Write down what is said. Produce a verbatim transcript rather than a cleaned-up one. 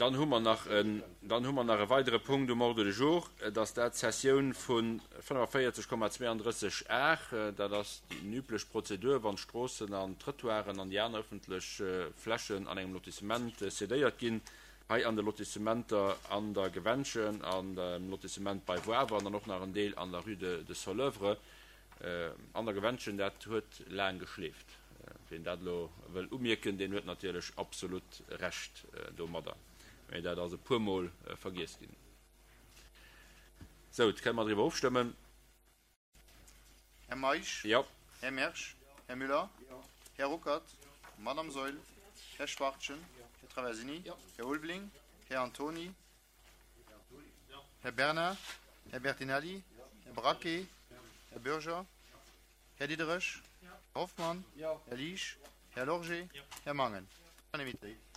Dann hu mer nach en, dann hu mer nach e weidere Punkt um Ordre du jour, et ass dat d'Cessioun vu fënnefavierzeg Komma zweiunddrësseg Ar. Dat ass déi üblech Prozedur, wann d'Stroossen an d'Trottoiren an déi aner ëffentlech Flächen an engem Lotissement cédéiert ginn. Hei an de Lotissementer an der Gewännchen, an dem Lotissement bei Woawer an dann och nach en Deel an der Rue de Soleuvre. An der Gewännchen, dat huet laang geschleeft. Wien dat elo wëll umierken, deen huet natierlech absolut Recht domadder. Mee dat ass e puermol vergiess ginn. Sou, kënne mer driwwer ofstëmmen? Här Meisch? Jo. Här Mersch? Här Müller? Här Ruckert? Madame Saeul? Här Schwachtgen? Här Traversini? Här Ulveling? Här Antoni? Här Bernard? Här Bertinelli? Här Braquet? Här Bürger? Här Diderich? Här Hoffmann? Här Liesch? Här Lorgé? Här Mangen? Unanimitéit.